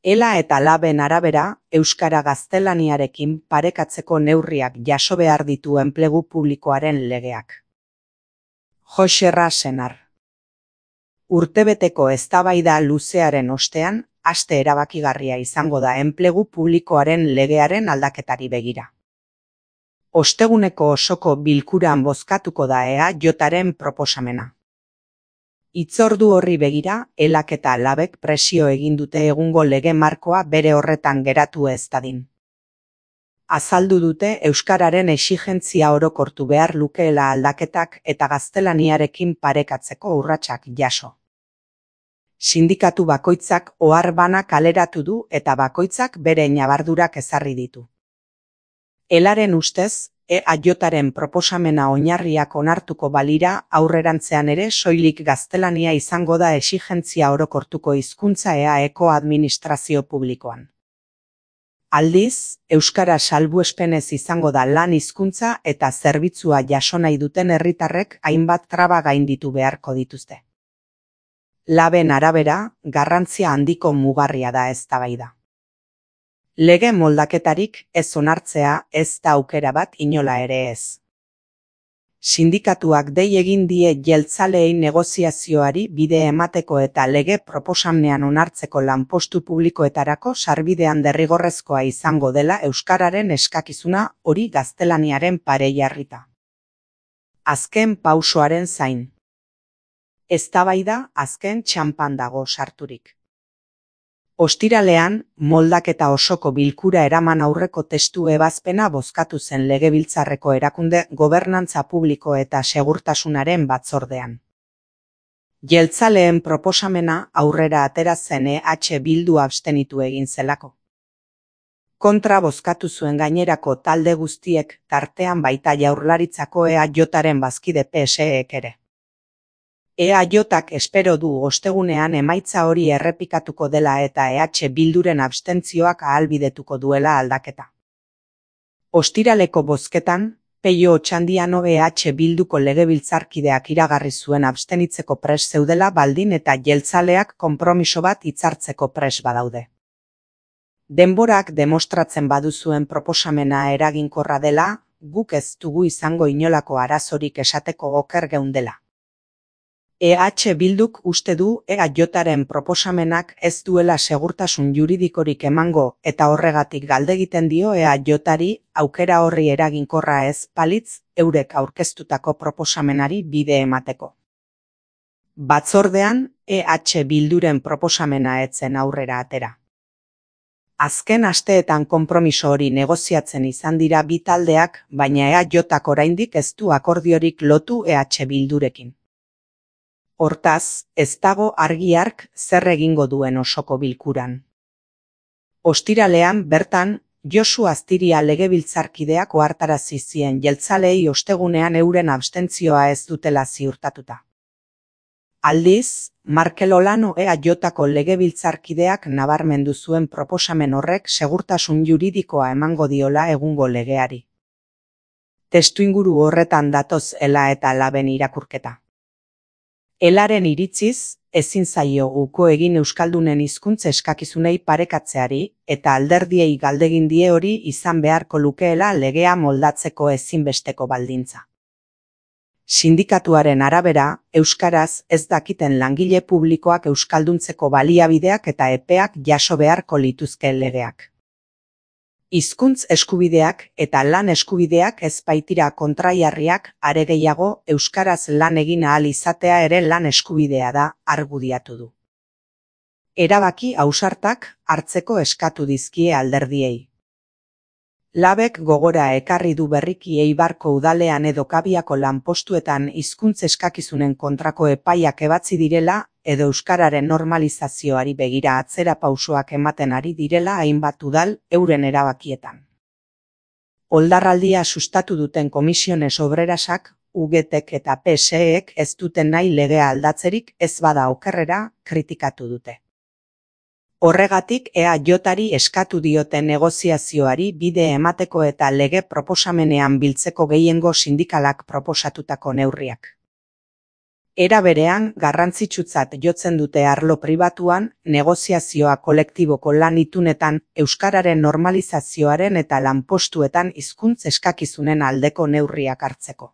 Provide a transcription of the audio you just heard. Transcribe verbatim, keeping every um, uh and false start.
Ela eta Laben arabera, euskara gaztelaniarekin parekatzeko neurriak jaso behar ditu enplegu publikoaren legeak. Joxerra Senar. Urtebeteko eztabaida luzearen ostean, aste erabakigarria izango da enplegu publikoaren legearen aldaketari begira. Osteguneko osoko bilkuran bozkatuko da E A Jaren proposamena. Hitzordu horri begira, Elak eta Labek presio egin dute egungo lege markoa bere horretan geratu ez dadin. Azaldu dute euskararen exigentzia orokortu behar lukeela aldaketak eta gaztelaniarekin parekatzeko urratsak jaso. Sindikatu bakoitzak ohar bana kaleratu du eta bakoitzak bere ñabardurak ezarri ditu. Elaren ustez, E A Jaren proposamena oinarriak onartuko balira aurrerantzean ere soilik gaztelania izango da exigentzia orokortuko hizkuntza E A Eko administrazio publikoan. Aldiz, euskara salbuespenez izango da lan hizkuntza eta zerbitzua jaso nahi duten herritarrek hainbat traba gainditu beharko dituzte. Laben arabera, garrantzia handiko mugarria da eztabaida. Lege moldaketarik ez onartzea ez da aukera bat inola ere ez. Sindikatuak dei egin die jeltzaleei negoziazioari bide emateko eta lege proposamenean onartzeko lanpostu publikoetarako sarbidean derrigorrezkoa izango dela euskararen eskakizuna hori gaztelaniaren pare jarrita. Azken pausoaren zain. Eztabaida azken txanpan dago sarturik. Ostiralean, moldaketa osoko bilkura eraman aurreko testu ebazpena bozkatu zen Legebiltzarreko erakunde gobernantza publiko eta segurtasunaren batzordean. Jeltzaleen proposamena aurrera atera zen E H Bildu abstenitu egin zelako. Kontra bozkatu zuen gainerako talde guztiek, tartean baita Jaurlaritzako E A Jaren bazkide P S Ek ere. E A Jak espero du ostegunean emaitza hori errepikatuko dela eta E H Bilduren abstentzioak ahalbidetuko duela aldaketa. Ostiraleko bozketan, Peio Otxandiano E H Bilduko legebiltzarkideak iragarri zuen abstenitzeko pres zeudela baldin eta jeltzaleak konpromiso bat hitzartzeko pres badaude. Denborak demostratzen baduzuen proposamena eraginkorra dela, guk ez dugu izango inolako arazorik esateko oker geundela. E H Bilduk uste du E A Jaren proposamenak ez duela segurtasun juridikorik emango eta horregatik galdegiten dio E A Jari aukera horri eraginkorra ez balitz eurek aurkeztutako proposamenari bide emateko. Batzordean, E H Bilduren proposamena etzen aurrera atera. Azken asteetan konpromiso hori negoziatzen izan dira bi taldeak, baina E A Jak oraindik ez du akordiorik lotu E H Bildurekin. Hortaz, ez dago argi ark zer egingo duen osoko bilkuran. Ostiralean bertan, Josu Astiria legebiltzarkideak ohartarazi zien jeltzaleei ostegunean euren abstentzioa ez dutela ziurtatuta. Aldiz, Markel Olano E A Jako legebiltzarkideak nabarmendu zuen proposamen horrek segurtasun juridikoa emango diola egungo legeari. Testuinguru horretan datoz Ela eta Laben irakurketa. Elaren iritziz, ezin zaio uko egin euskaldunen hizkuntza eskakizunei parekatzeari eta alderdiei galdegin die hori izan beharko lukeela legea moldatzeko ezinbesteko baldintza. Sindikatuaren arabera, euskaraz ez dakiten langile publikoak euskalduntzeko baliabideak eta epeak jaso beharko lituzke legeak. Hizkuntz eskubideak eta lan eskubideak ez baitira kontraiarriak, are gehiago euskaraz lan egin ahal izatea ere lan eskubidea da, argudiatu du. Erabaki ausartak hartzeko eskatu dizkie alderdiei. Labek gogora ekarri du berriki Eibarko udalean edo Kabiako lanpostuetan hizkuntz eskakizunen kontrako epaiak ebatzi direla edo euskararen normalizazioari begira atzera pausoak ematen ari direla hainbat udal euren erabakietan. Oldarraldia sustatu duten Komisiones Obrerasak, U G Tek eta P S Ek ez duten nahi legea aldatzerik ez bada okerrera kritikatu dute. Horregatik E A Jari eskatu diote negoziazioari bide emateko eta lege proposamenean biltzeko gehiengo sindikalak proposatutako neurriak. Era berean, garrantzitsutzat jotzen dute arlo pribatuan, negoziazioa kolektiboko lan itunetan, euskararen normalizazioaren eta lanpostuetan hizkuntz eskakizunen aldeko neurriak hartzeko.